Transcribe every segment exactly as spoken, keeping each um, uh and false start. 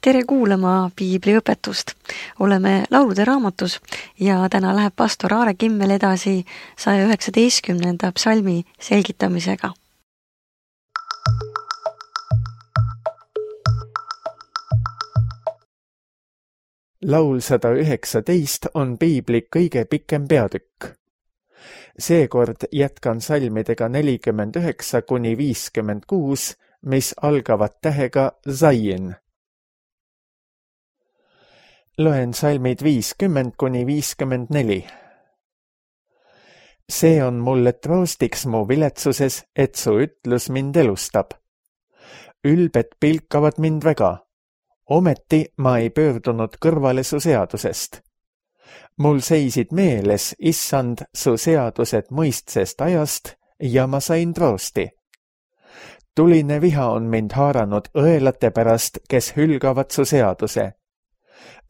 Tere kuulama piibliõpetust. Oleme laulude raamatus ja täna läheb pastor Aare Kimmel edasi saja üheksateistkümnenda psalmi selgitamisega. Laul sada üheksateist on piibli kõige pikem peatükk. Seekord jätkan salmidega nelikümmend üheksa kuni viiskümmend kuus, mis algavad tähega Zayin. Loen salmid viiskümmend kuni viiskümmend neli. See on mulle troostiks mu viletsuses, et su ütlus mind elustab. Ülbed pilkavad mind väga. Ometi ma ei pöördunud kõrvale su seadusest. Mul seisid meeles, issand, su seadused mõistsest ajast ja ma sain troosti. Tuline viha on mind haaranud õelate pärast, kes hülgavad su seaduse.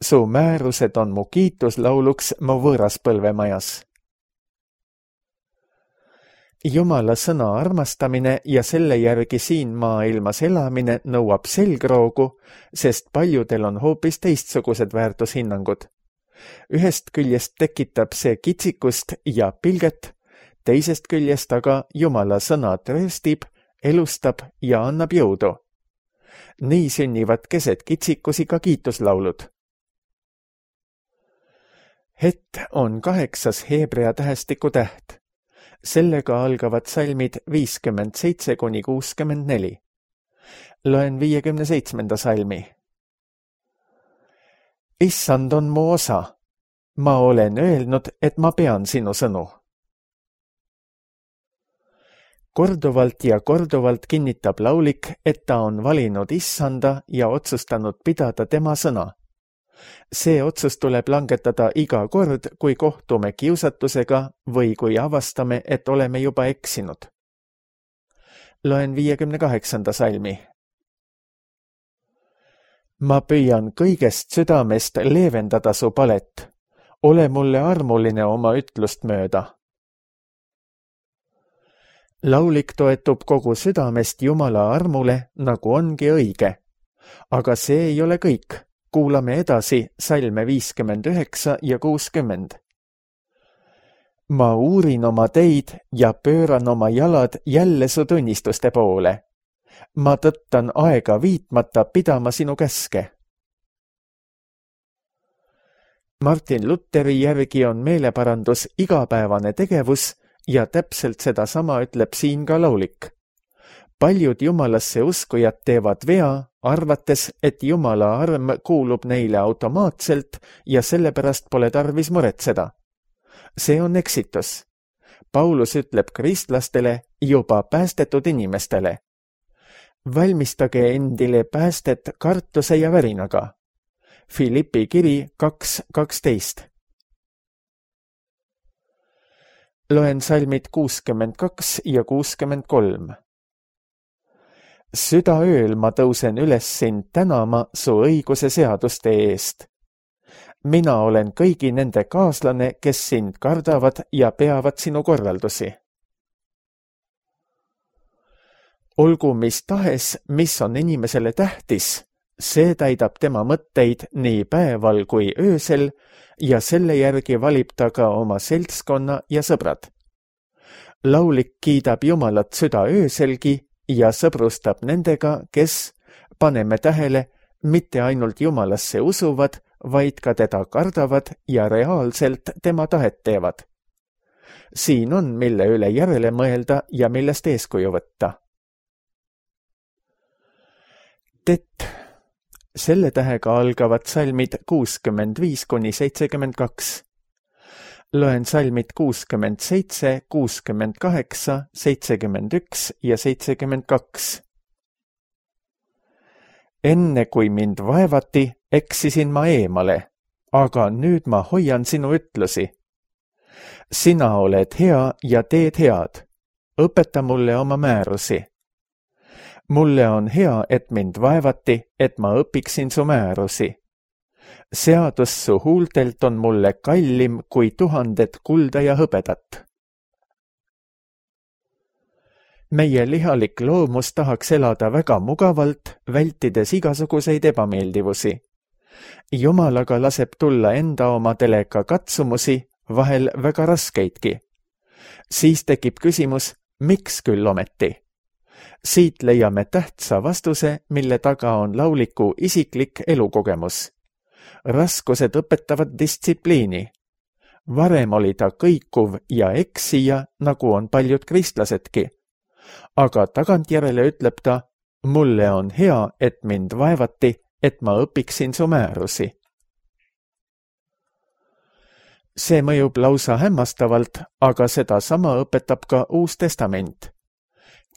Su määrused on mu kiituslauluks mu võõraspõlvemajas. Jumala sõna armastamine ja selle järgi siin maailmas elamine nõuab selgroogu, sest paljudel on hoopis teistsugused väärtushinnangud. Ühest küljest tekitab see kitsikust ja pilget, teisest küljest aga Jumala sõna trööstib, elustab ja annab jõudu. Nii sünnivad keset kitsikusi ka kiituslaulud. Het on kaheksas heebrea tähestiku täht. Sellega algavad salmid viiskümmend seitse kuni kuuskümmend neli. Loen viiekümne seitsmenda salmi. Issand on mu osa. Ma olen öelnud, et ma pean sinu sõnu. Korduvalt ja korduvalt kinnitab laulik, et ta on valinud issanda ja otsustanud pidada tema sõna. See otsus tuleb langetada iga kord, kui kohtume kiusatusega või kui avastame, et oleme juba eksinud. Loen viiekümne kaheksanda salmi. Ma püüan kõigest südamest leevendada su palet. Ole mulle armuline oma ütlust mööda. Laulik toetub kogu südamest Jumala armule, nagu ongi õige. Aga see ei ole kõik. Kuulame edasi salme viiskümmend üheksa ja kuuskümmend. Ma uurin oma teid ja pööran oma jalad jälle su tunnistuste poole. Ma tõttan aega viitmata pidama sinu käske. Martin Lutheri järgi on meeleparandus igapäevane tegevus ja täpselt seda sama ütleb siin ka laulik. Paljud jumalasse uskujad teevad vea, arvates, et Jumala arm kuulub neile automaatselt ja sellepärast pole tarvis muretseda. See on eksitus. Paulus ütleb kristlastele, juba päästetud inimestele. Valmistage endile päästet kartuse ja värinaga. Filippi kiri kaks kaksteist. Loen salmid kuuskümmend kaks ja kuuskümmend kolm. Südaööl ma tõusen üles sind tänama su õiguse seaduste eest. Mina olen kõigi nende kaaslane, kes sind kardavad ja peavad sinu korraldusi. Olgu mis tahes, mis on inimesele tähtis, see täidab tema mõtteid nii päeval kui öösel ja selle järgi valib ta ka oma seltskonna ja sõbrad. Laulik kiidab Jumalat südaööselgi ja sõbrustab nendega, kes, paneme tähele, mitte ainult Jumalasse usuvad, vaid ka teda kardavad ja reaalselt tema tahet teevad. Siin on, mille üle järele mõelda ja millest eeskuju võtta. Tet. Selle tähega algavad salmid kuuskümmend viis kuni seitsekümmend kaks. Loen salmid kuuskümmend seitse, kuuskümmend kaheksa, seitsekümmend üks ja seitsekümmend kaks. Enne kui mind vaevati, eksisin ma eemale, aga nüüd ma hoian sinu ütlusi. Sina oled hea ja teed head. Õpeta mulle oma määrusi. Mulle on hea, et mind vaevati, et ma õpiksin su määrusi. Seadus su huultelt on mulle kallim kui tuhanded kulda ja hõbedat. meie lihalik loomus tahaks elada väga mugavalt, vältides igasuguseid ebameeldivusi. Jumal aga laseb tulla enda omadele ka katsumusi, vahel väga raskeidki. Siis tekib küsimus, miks küll ometi? Siit leiame tähtsa vastuse, mille taga on lauliku isiklik elukogemus. Raskused õpetavad distsipliini. Varem oli ta kõikuv ja eksija, nagu on paljud kristlasedki. Aga tagantjärele ütleb ta, mulle on hea, et mind vaevati, et ma õpiksin su määrusi. See mõjub lausa hämmastavalt, aga seda sama õpetab ka Uus Testament.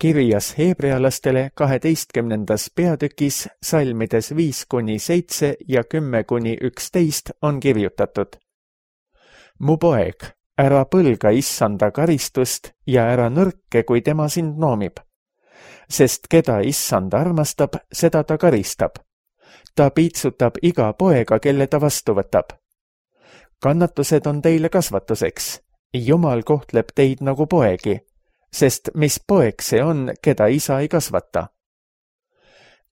Kirjas heebrealastele kaheteistkümnendas peatükis salmides viis kuni seitse ja kümme kuni üksteist on kirjutatud. Mu poeg, ära põlga issanda karistust ja ära nõrke, kui tema sind noomib. Sest keda issand armastab, seda ta karistab. Ta piitsutab iga poega, kelle ta vastu võtab. Kannatused on teile kasvatuseks. Jumal kohtleb teid nagu poegi, sest mis poeg see on, keda isa ei kasvata?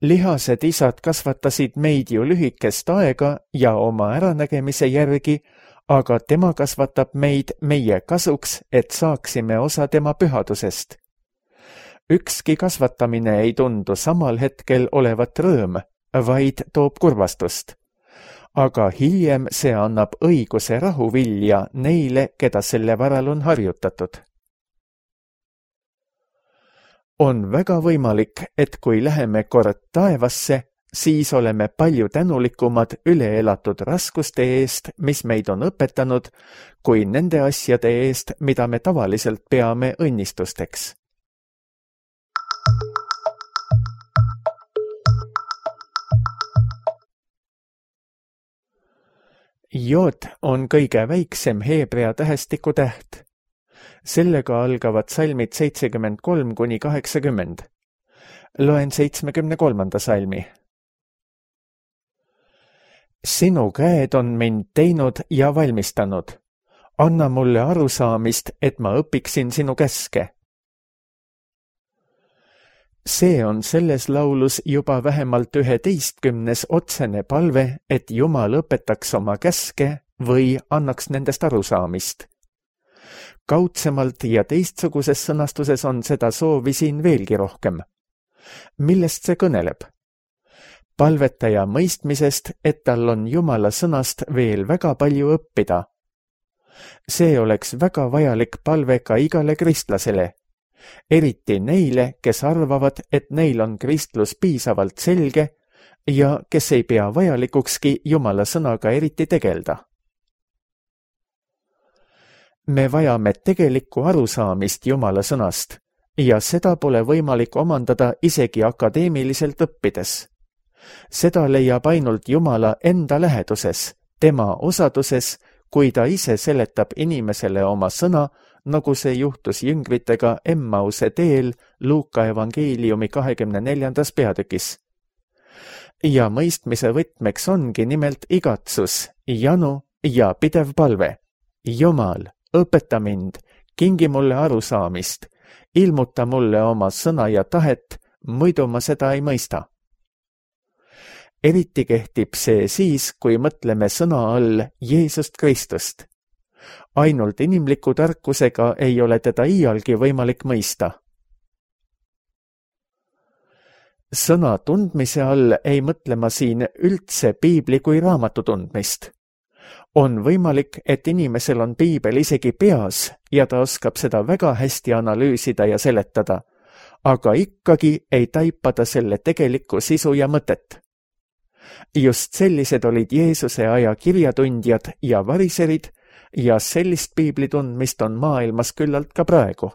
Lihased isad kasvatasid meid ju lühikest aega ja oma äranägemise järgi, aga tema kasvatab meid meie kasuks, et saaksime osa tema pühadusest. Ükski kasvatamine ei tundu samal hetkel olevat rõõm, vaid toob kurvastust. Aga hiljem see annab õiguse rahuvilja neile, keda selle varal on harjutatud. On väga võimalik, et kui läheme kord taevasse, siis oleme palju tänulikumad üle elatud raskuste eest, mis meid on õpetanud, kui nende asjade eest, mida me tavaliselt peame õnnistusteks. Jood on kõige väiksem heebrea tähestiku täht. Sellega algavad salmid seitsekümmend kolm kuni kaheksakümmend. Loen seitsmekümne kolmanda salmi. Sinu käed on mind teinud ja valmistanud. Anna mulle arusaamist, et ma õpiksin sinu käske. See on selles laulus juba vähemalt üheteistkümnes otsene palve, et Jumal õpetaks oma käske või annaks nendest arusaamist. Kaudsemalt ja teistsuguses sõnastuses on seda soovi siin veelgi rohkem. Millest see kõneleb? Palvetaja mõistmisest, et tal on Jumala sõnast veel väga palju õppida. See oleks väga vajalik palve ka igale kristlasele. Eriti neile, kes arvavad, et neil on kristlus piisavalt selge ja kes ei pea vajalikukski Jumala sõnaga eriti tegelda. Me vajame tegelikku arusaamist Jumala sõnast ja seda pole võimalik omandada isegi akadeemiliselt õppides. Seda leiab ainult Jumala enda läheduses, tema osaduses, kui ta ise seletab inimesele oma sõna, nagu see juhtus jüngritega Emmause teel Luuka evangeeliumi kahekümne neljandas peatükis. Ja mõistmise võtmeks ongi nimelt igatsus, janu ja pidev palve. Jumal, õpeta mind, kingi mulle arusaamist, ilmuta mulle oma sõna ja tahet, muidu ma seda ei mõista. Eriti kehtib see siis, kui mõtleme sõna all Jeesust Kristust. Ainult inimliku tarkusega ei ole teda iialgi võimalik mõista. Sõna tundmise all ei mõtle ma siin üldse piibli kui raamatu tundmist. On võimalik, et inimesel on piibel isegi peas ja ta oskab seda väga hästi analüüsida ja seletada, aga ikkagi ei taipa ta selle tegelikku sisu ja mõtet. Just sellised olid Jeesuse aja kirjatundjad ja variserid ja sellist piibli tundmist on maailmas küllalt ka praegu.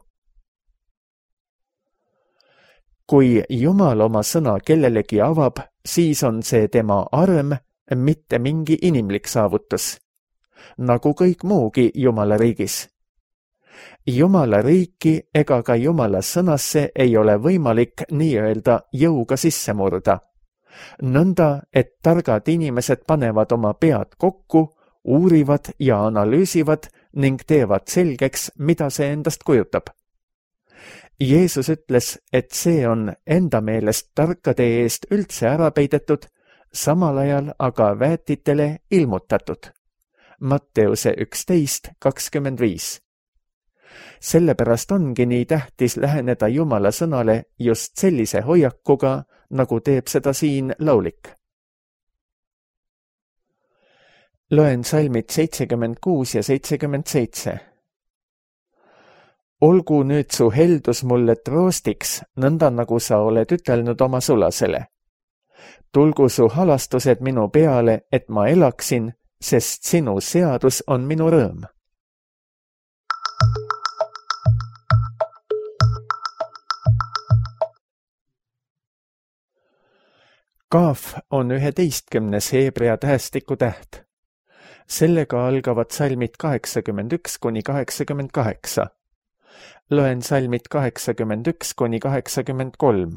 Kui Jumal oma sõna kellelegi avab, siis on see tema arm, mitte mingi inimlik saavutus, nagu kõik muugi Jumala riigis. Jumala riiki ega ka Jumala sõnasse ei ole võimalik nii-öelda jõuga sisse murda. Nõnda, et targad inimesed panevad oma pead kokku, uurivad ja analüüsivad ning teevad selgeks, mida see endast kujutab. Jeesus ütles, et see on enda meelest tarkade eest üldse ära peidetud, samal ajal aga väetitele ilmutatud. Matteuse üksteist kakskümmend viis. Sellepärast ongi nii tähtis läheneda Jumala sõnale just sellise hoiakuga, nagu teeb seda siin laulik. Loen salmid seitsekümmend kuus ja seitsekümmend seitse. Olgu nüüd su heldus mulle troostiks, nõnda nagu sa oled ütelnud oma sulasele. Tulgu su halastused minu peale, et ma elaksin, sest sinu seadus on minu rõõm. Kaaf on üheteistkümnes heebrea tähestiku täht. Sellega algavad salmid kaheksakümmend üks kuni kaheksakümmend kaheksa. Loen salmid kaheksakümmend üks kuni kaheksakümmend kolm.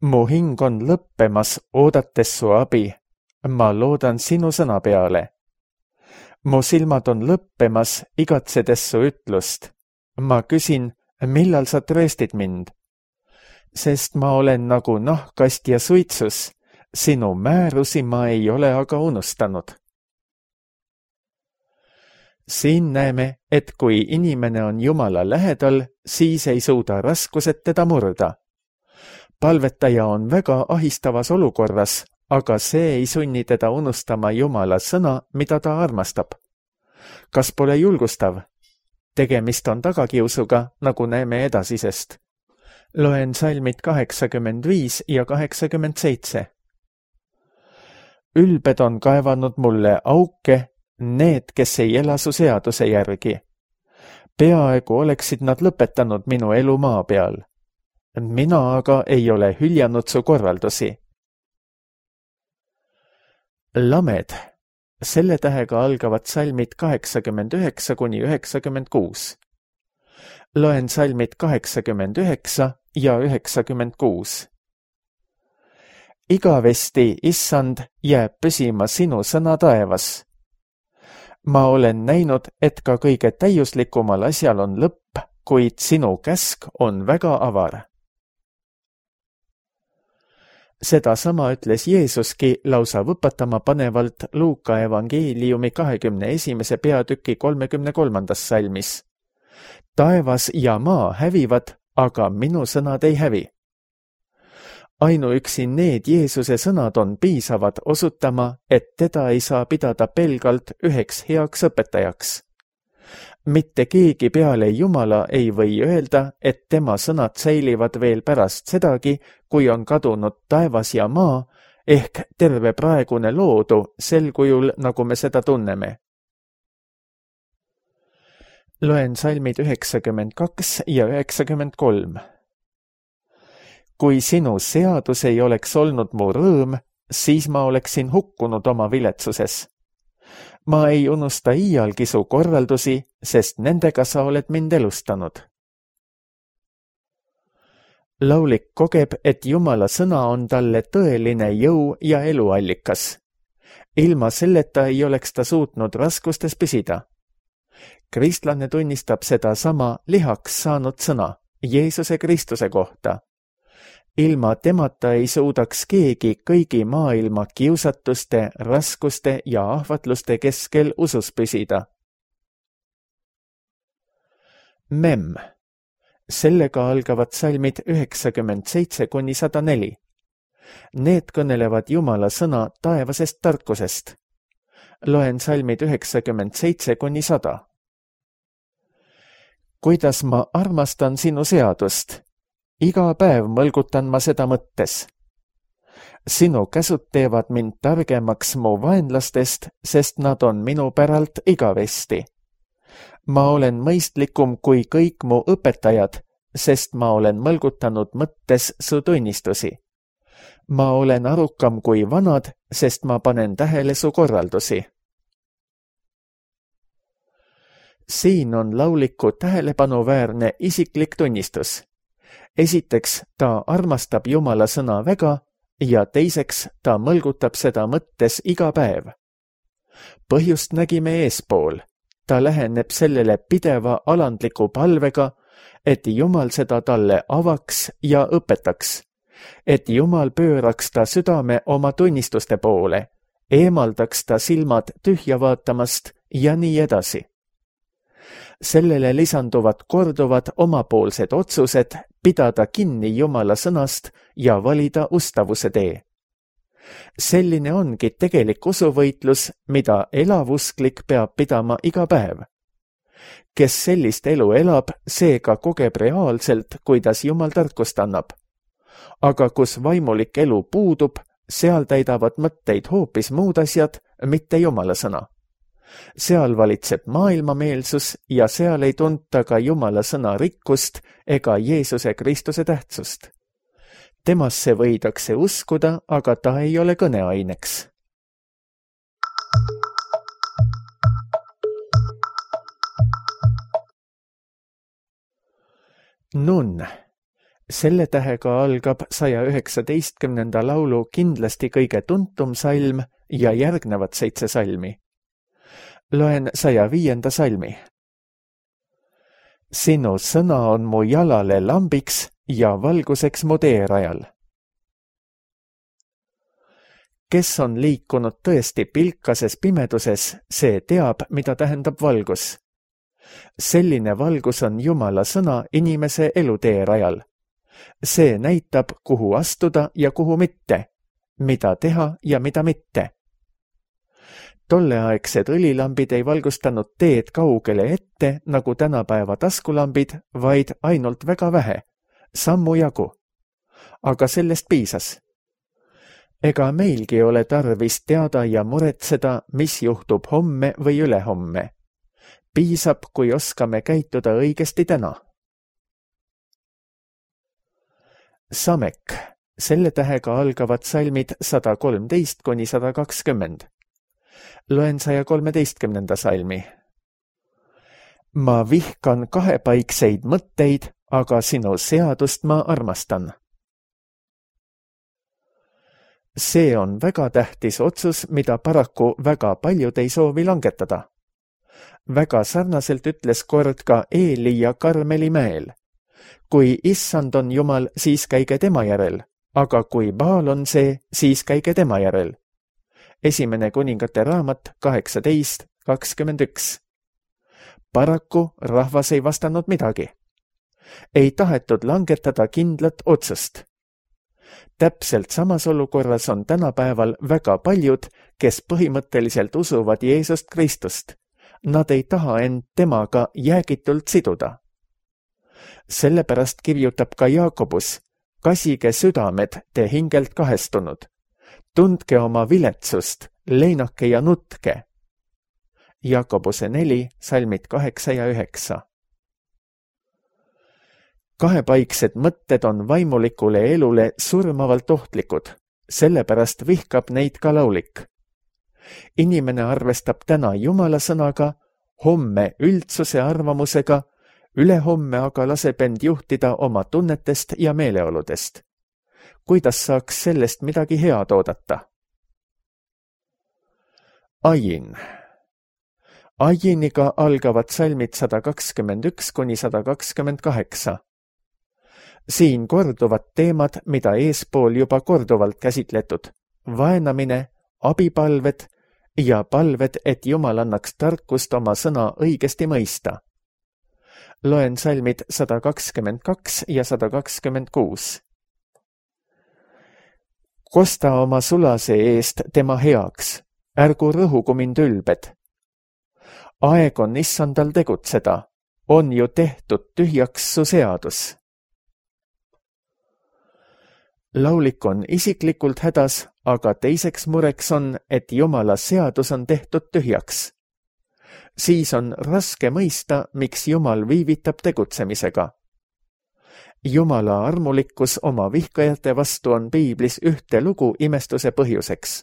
Mu hing on lõppemas, oodates su abi. Ma loodan sinu sõna peale. Mu silmad on lõppemas, igatsedes su ütlust. Ma küsin, millal sa trööstid mind? Sest ma olen nagu nahkast ja suitsus, sinu määrusi ma ei ole aga unustanud. Siin näeme, et kui inimene on Jumala lähedal, siis ei suuda raskused teda murda. Palvetaja on väga ahistavas olukorras, aga see ei sunni teda unustama Jumala sõna, mida ta armastab. Kas pole julgustav? Tegemist on tagakiusuga, nagu näeme edasisest. Loen salmid kaheksakümmend viis ja kaheksakümmend seitse. Ülbed on kaevanud mulle auke, need, kes ei ela su seaduse järgi. Peaaegu oleksid nad lõpetanud minu elu maa peal. Mina aga ei ole hüljanud su korraldusi. Lamed. Selle tähega algavad salmid kaheksakümmend üheksa kuni üheksakümmend kuus. Loen salmid kaheksakümmend üheksa ja üheksakümmend kuus. Igavesti, issand, jääb püsima sinu sõna taevas. Ma olen näinud, et ka kõige täiuslikumal asjal on lõpp, kuid sinu käsk on väga avar. Seda sama ütles Jeesuski lausa võpatama panevalt Luuka evangeeliumi kahekümne esimese peatüki kolmekümne kolmandas salmis. Taevas ja maa hävivad, aga minu sõnad ei hävi. Ainuüksi need Jeesuse sõnad on piisavad osutama, et teda ei saa pidada pelgalt üheks heaks õpetajaks. Mitte keegi peale Jumala ei või öelda, et tema sõnad säilivad veel pärast sedagi, kui on kadunud taevas ja maa, ehk terve praegune loodu sel kujul, nagu me seda tunneme. Loen salmid üheksakümmend kaks ja üheksakümmend kolm. Kui sinu seadus ei oleks olnud mu rõõm, siis ma oleksin hukkunud oma viletsuses. Ma ei unusta iialgi su korraldusi, sest nendega sa oled mind elustanud. Laulik kogeb, et Jumala sõna on talle tõeline jõu ja eluallikas. Ilma selleta ei oleks ta suutnud raskustes püsida. Kristlane tunnistab seda sama lihaks saanud sõna Jeesuse Kristuse kohta. Ilma temata ei suudaks keegi kõigi maailma kiusatuste, raskuste ja ahvatluste keskel usus püsida. Mem. Sellega algavad salmid üheksakümmend seitse kuni sada neli. Need kõnelevad Jumala sõna taevasest tarkusest. Loen salmid üheksakümmend seitse kuni sada. Kuidas ma armastan sinu seadust? Iga päev mõlgutan ma seda mõttes. Sinu käsud teevad mind targemaks mu vaenlastest, sest nad on minu päralt igavesti. Ma olen mõistlikum kui kõik mu õpetajad, sest ma olen mõlgutanud mõttes su tunnistusi. Ma olen arukam kui vanad, sest ma panen tähele su korraldusi. Siin on lauliku tähelepanuväärne isiklik tunnistus. Esiteks, ta armastab Jumala sõna väga ja teiseks, ta mõlgutab seda mõttes iga päev. Põhjust nägime eespool. Ta läheneb sellele pideva alandliku palvega, et Jumal seda talle avaks ja õpetaks, et Jumal pööraks ta südame oma tunnistuste poole, eemaldaks ta silmad tühja vaatamast ja nii edasi. Sellele lisanduvad korduvad omapoolsed otsused pidada kinni Jumala sõnast ja valida ustavuse tee. Selline ongi tegelik usuvõitlus, mida elavusklik peab pidama iga päev. Kes sellist elu elab, seega kogeb reaalselt, kuidas Jumal tarkust annab. Aga kus vaimulik elu puudub, seal täidavad mõtteid hoopis muud asjad, mitte Jumala sõna. Seal valitseb maailmameelsus ja seal ei tunta ka Jumala sõna rikkust ega Jeesuse Kristuse tähtsust. Temasse võidakse uskuda, aga ta ei ole kõneaineks. Nun. Selle tähega algab saja üheksateistkümnenda laulu kindlasti kõige tuntum salm ja järgnevad seitse salmi. Loen saja viienda salmi. Sinu sõna on mu jalale lambiks ja valguseks mu teerajal. Kes on liikunud tõesti pilkases pimeduses, see teab, mida tähendab valgus. Selline valgus on Jumala sõna inimese eluteerajal. See näitab, kuhu astuda ja kuhu mitte, mida teha ja mida mitte. Tolleaegsed õlilambid ei valgustanud teed kaugele ette, nagu tänapäeva taskulambid, vaid ainult väga vähe, sammu jagu. Aga sellest piisas. Ega meilgi ole tarvis teada ja muretseda, mis juhtub homme või ülehomme. Piisab, kui oskame käituda õigesti täna. Samek. Selle tähega algavad salmid sada kolmteist kuni sada kakskümmend. Loen saja kolmeteistkümnenda salmi. Ma vihkan kahepaikseid mõtteid, aga sinu seadust ma armastan. See on väga tähtis otsus, mida paraku väga paljud ei soovi langetada. Väga sarnaselt ütles kord ka Eeli ja Karmeli mäel. Kui issand on Jumal, siis käige tema järel, aga kui Baal on see, siis käige tema järel. Esimene kuningate raamat kaheksateist kakskümmend üks. Paraku rahvas ei vastanud midagi. Ei tahetud langetada kindlat otsust. Täpselt samas olukorras on tänapäeval väga paljud, kes põhimõtteliselt usuvad Jeesust Kristust. Nad ei taha end temaga jäägitult siduda. Sellepärast kirjutab ka Jaakobus, kasige südamed te hingelt kahestunud. Tundke oma viletsust, leinake ja nutke. Jaakobuse neli, salmid kaheksa ja üheksa. Kahepaiksed mõtted on vaimulikule elule surmavalt ohtlikud, sellepärast vihkab neid ka laulik. Inimene arvestab täna Jumala sõnaga, homme üldsuse arvamusega, ülehomme aga laseb end juhtida oma tunnetest ja meeleoludest. Kuidas saaks sellest midagi head oodata? Ajin. Ajiniga algavad salmid sada kakskümmend üks kuni sada kakskümmend kaheksa. Siin korduvad teemad, mida eespool juba korduvalt käsitletud. Vaenamine, abipalved ja palved, et Jumal annaks tarkust oma sõna õigesti mõista. Loen salmid sada kakskümmend kaks ja sada kakskümmend kuus. Kosta oma sulase eest tema heaks, ärgu rõhugu mind ülbed. Aeg on issandal tegutseda, on ju tehtud tühjaks su seadus. Laulik on isiklikult hädas, aga teiseks mureks on, et Jumala seadus on tehtud tühjaks. Siis on raske mõista, miks Jumal viivitab tegutsemisega. Jumala armulikkus oma vihkajate vastu on piiblis ühte lugu imestuse põhjuseks.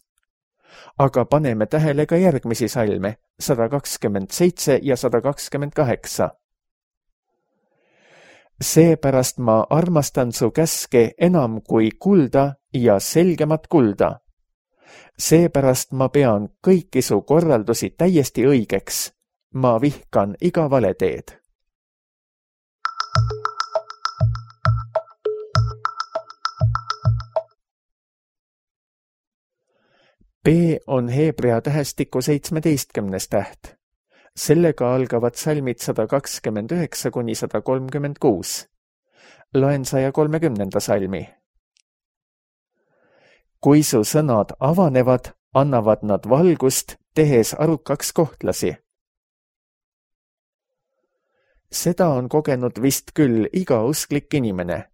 Aga paneme tähele ka järgmisi salme, sada kakskümmend seitse ja sada kakskümmend kaheksa. Seepärast ma armastan su käske enam kui kulda ja selgemat kulda. Seepärast ma pean kõiki su korraldusi täiesti õigeks. Ma vihkan iga valeteed. B on heebrea tähestiku seitsmeteistkümnes täht. Sellega algavad salmid sada kakskümmend üheksa kuni sada kolmkümmend kuus. Loen saja kolmekümnenda salmi. Kui su sõnad avanevad, annavad nad valgust, tehes arukaks kohtlasi. Seda on kogenud vist küll iga usklik inimene.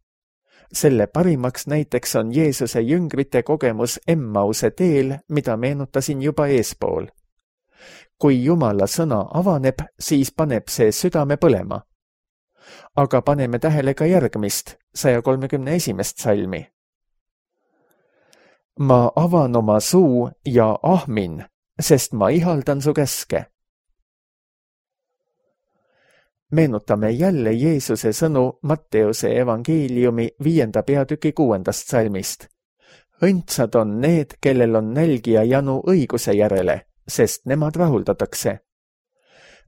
Selle parimaks näiteks on Jeesuse jüngrite kogemus Emmause teel, mida meenutasin juba eespool. Kui Jumala sõna avaneb, siis paneb see südame põlema. Aga paneme tähele ka järgmist, saja kolmekümne esimest salmi. Ma avan oma suu ja ahmin, sest ma ihaldan su käske. Meenutame jälle Jeesuse sõnu Matteuse evangeeliumi viienda peatüki kuuendast salmist. Õndsad on need, kellel on nälg ja janu õiguse järele, sest nemad rahuldatakse.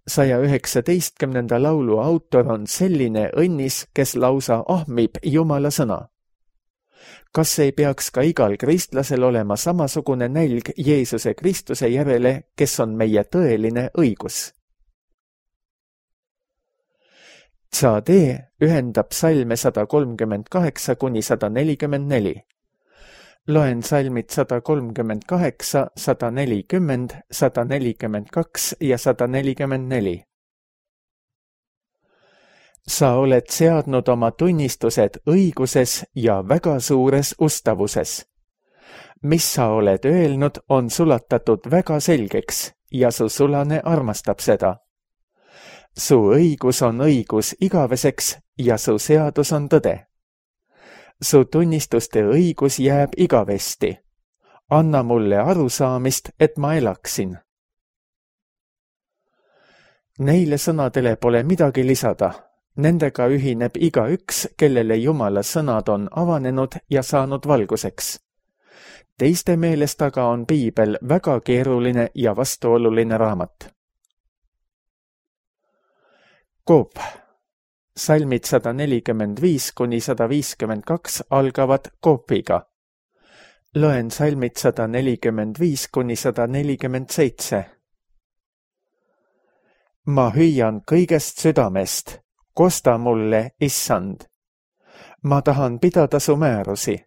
saja üheksateistkümnenda laulu autor on selline õnnis, kes lausa ahmib Jumala sõna. Kas ei peaks ka igal kristlasel olema samasugune nälg Jeesuse Kristuse järele, kes on meie tõeline õigus? Tsadee ühendab salme sada kolmkümmend kaheksa kuni sada nelikümmend neli. Loen salmid sada kolmkümmend kaheksa, sada nelikümmend, sada nelikümmend kaks ja sada nelikümmend neli. Sa oled seadnud oma tunnistused õiguses ja väga suures ustavuses. Mis sa oled öelnud, on sulatatud väga selgeks ja su sulane armastab seda. Su õigus on õigus igaveseks ja su seadus on tõde. Su tunnistuste õigus jääb igavesti. Anna mulle arusaamist, et ma elaksin. Neile sõnadele pole midagi lisada. Nendega ühineb igaüks, kellele Jumala sõnad on avanenud ja saanud valguseks. Teiste meelest aga on piibel väga keeruline ja vastuoluline raamat. Koop. Salmid sada nelikümmend viis kuni sada viiskümmend kaks algavad koopiga. Loen salmid sada nelikümmend viis kuni sada nelikümmend seitse. Ma hüüan kõigest südamest. Kosta mulle, issand. Ma tahan pidada su määrusi.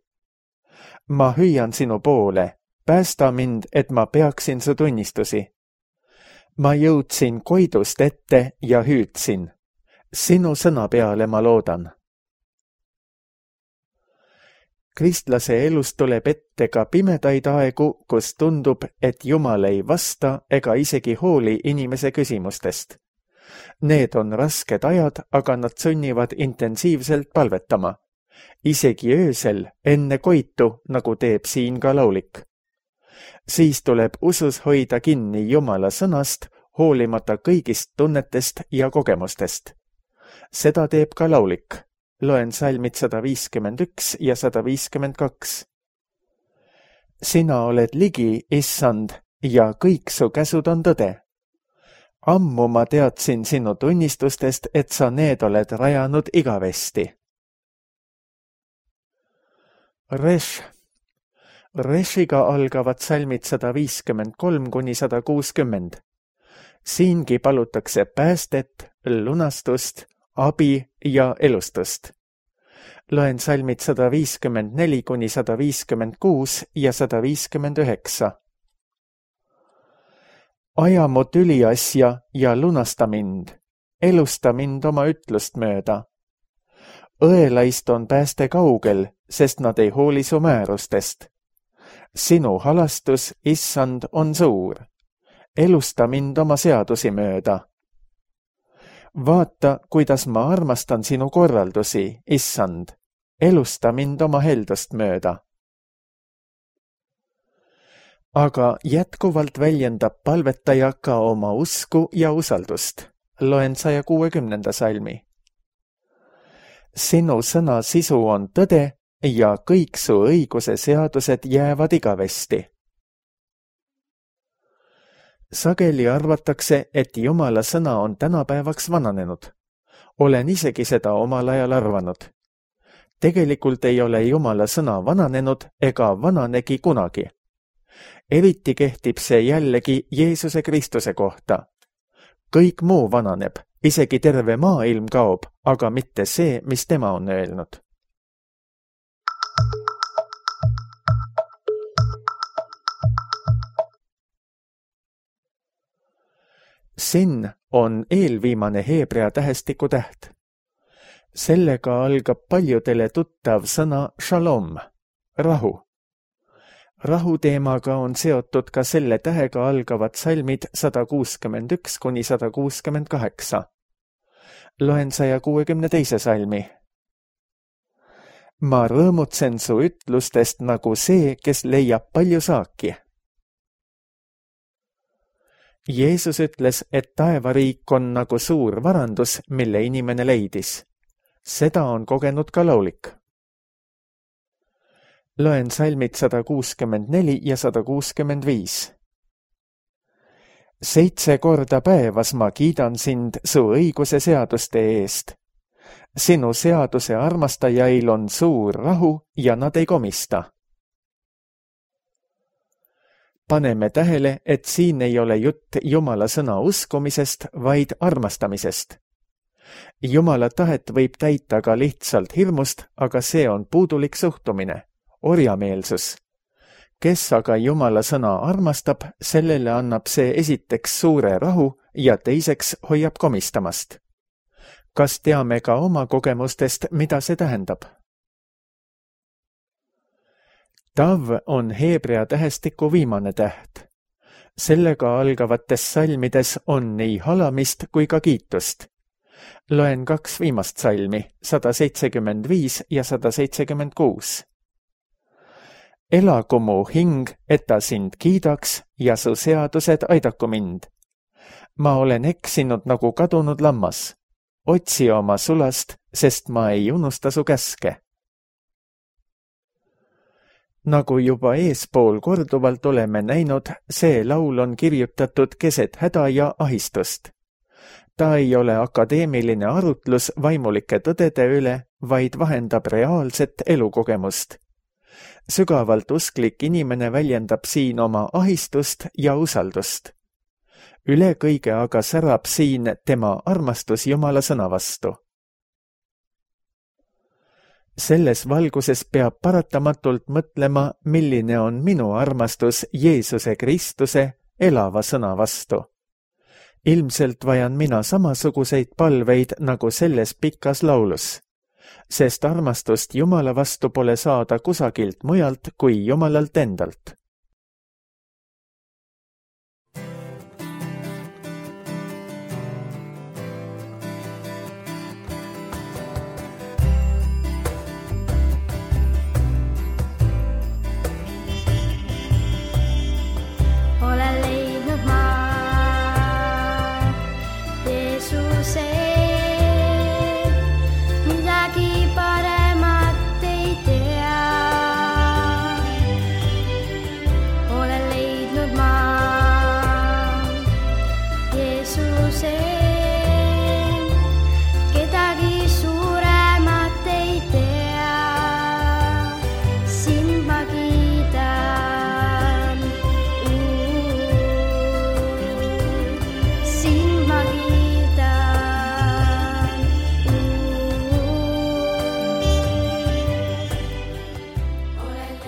Ma hüüan sinu poole, päästa mind, et ma peaksin su tunnistusi. Ma jõudsin koidust ette ja hüüdsin. Sinu sõna peale ma loodan. Kristlase elus tuleb ette ka pimedaid aegu, kus tundub, et Jumal ei vasta ega isegi hooli inimese küsimustest. Need on rasked ajad, aga nad sunnivad intensiivselt palvetama. Isegi öösel, enne koitu, nagu teeb siin ka laulik. Siis tuleb usus hoida kinni Jumala sõnast, hoolimata kõigist tunnetest ja kogemustest. Seda teeb ka laulik. Loen salmid sada viiskümmend üks ja sada viiskümmend kaks. Sina oled ligi, issand, ja kõik su käsud on tõde. Ammu ma teadsin sinu tunnistustest, et sa need oled rajanud igavesti. Resh. Reshiga algavad salmid sada viiskümmend kolm kuni sada kuuskümmend. Siingi palutakse päästet, lunastust, abi ja elustust. Loen salmid sada viiskümmend neli kuni sada viiskümmend kuus ja sada viiskümmend üheksa. Aja mu tüliasja ja lunasta mind, elusta mind oma ütlust mööda. Õelaist on pääste kaugel, sest nad ei hooli su määrustest. Sinu halastus, issand, on suur. Elusta mind oma seadusi mööda. Vaata, kuidas ma armastan sinu korraldusi, issand. Elusta mind oma heldust mööda. Aga jätkuvalt väljendab palvetaja ka oma usku ja usaldust. Loen saja kuuekümnenda salmi. Sinu sõna sisu on tõde ja kõik su õiguse seadused jäävad igavesti. Sageli arvatakse, et Jumala sõna on tänapäevaks vananenud. Olen isegi seda omal ajal arvanud. Tegelikult ei ole Jumala sõna vananenud ega vananegi kunagi. eriti kehtib see jällegi Jeesuse Kristuse kohta. Kõik muu vananeb, isegi terve maailm kaob, aga mitte see, mis tema on öelnud. Sin on eelviimane heebrea tähestiku täht. Sellega algab paljudele tuttav sõna shalom, rahu. Rahu teemaga on seotud ka selle tähega algavad salmid sada kuuskümmend üks kuni sada kuuskümmend kaheksa. Loen saja kuuekümne teise salmi. Ma rõõmutsen su ütlustest nagu see, kes leiab palju saaki. Jeesus ütles, et taevariik on nagu suur varandus, mille inimene leidis. Seda on kogenud ka laulik. Loen salmid sada kuuskümmend neli ja sada kuuskümmend viis. Seitse korda päevas ma kiidan sind su õiguse seaduste eest. Sinu seaduse armastajail on suur rahu ja nad ei komista. Paneme tähele, et siin ei ole jutt Jumala sõna uskumisest, vaid armastamisest. Jumala tahet võib täita ka lihtsalt hirmust, aga see on puudulik suhtumine, orjameelsus. Kes aga Jumala sõna armastab, sellele annab see esiteks suure rahu ja teiseks hoiab komistamast. Kas teame ka oma kogemustest, mida see tähendab? Tav on heebrea tähestiku viimane täht. Sellega algavates salmides on nii halamist kui ka kiitust. Loen kaks viimast salmi, sada seitsekümmend viis ja sada seitsekümmend kuus. Elagu mu hing, et ta sind kiidaks ja su seadused aidaku mind. Ma olen eksinud nagu kadunud lammas. Otsi oma sulast, sest ma ei unusta su käske. Nagu juba eespool korduvalt oleme näinud, see laul on kirjutatud keset häda ja ahistust. Ta ei ole akadeemiline arutlus vaimulike tõdede üle, vaid vahendab reaalset elukogemust. Sügavalt usklik inimene väljendab siin oma ahistust ja usaldust. Üle kõige aga särab siin tema armastus Jumala sõna vastu. Selles valguses peab paratamatult mõtlema, milline on minu armastus Jeesuse Kristuse elava sõna vastu. Ilmselt vajan mina samasuguseid palveid nagu selles pikas laulus, sest armastust Jumala vastu pole saada kusagilt mujalt kui Jumalalt endalt.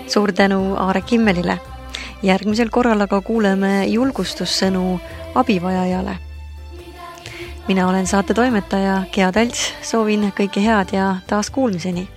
Suur tänu Aare Kimmelile. Järgmisel korral aga kuuleme julgustussõnu abivajajale. Mina olen saate toimetaja Gea Talts, soovin kõike head ja taas kuulmiseni.